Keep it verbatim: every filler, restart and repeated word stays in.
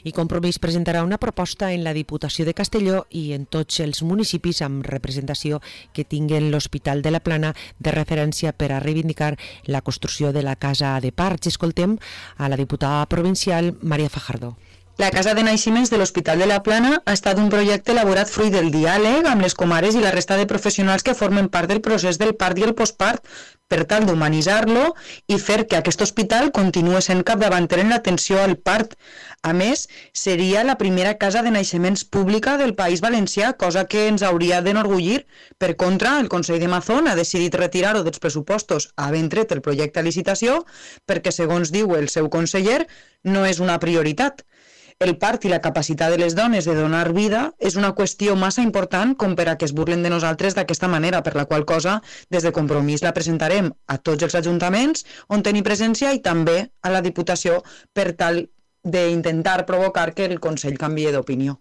I Compromís presentarà una proposta en la Diputació de Castelló i en tots els municipis amb representació que tinguen l'Hospital de la Plana de referència per a reivindicar la construcció de la Casa de Parts. Escoltem a la diputada provincial Maria Fajardo. La Casa de Naixements de l'Hospital de la Plana ha estat un projecte elaborat fruit del diàleg amb les comares i la resta de professionals que formen part del procés del part i el postpart per tal d'humanitzar-lo i fer que aquest hospital continuï sent capdavanter en l'atenció al part. A més, seria la primera casa de naixements pública del País Valencià, cosa que ens hauria d'enorgullir. Per contra, el Consell de Mazón ha decidit retirar-ho dels pressupostos havent tret el projecte a licitació perquè, segons diu el seu conseller, no és una prioritat. El part i la capacitat de les dones de donar vida és una qüestió massa important com per a que es burlen de nosaltres d'aquesta manera, per la qual cosa, des de Compromís la presentarem a tots els ajuntaments on tenir presència i també a la Diputació per tal d'intentar provocar que el Consell canvie d'opinió.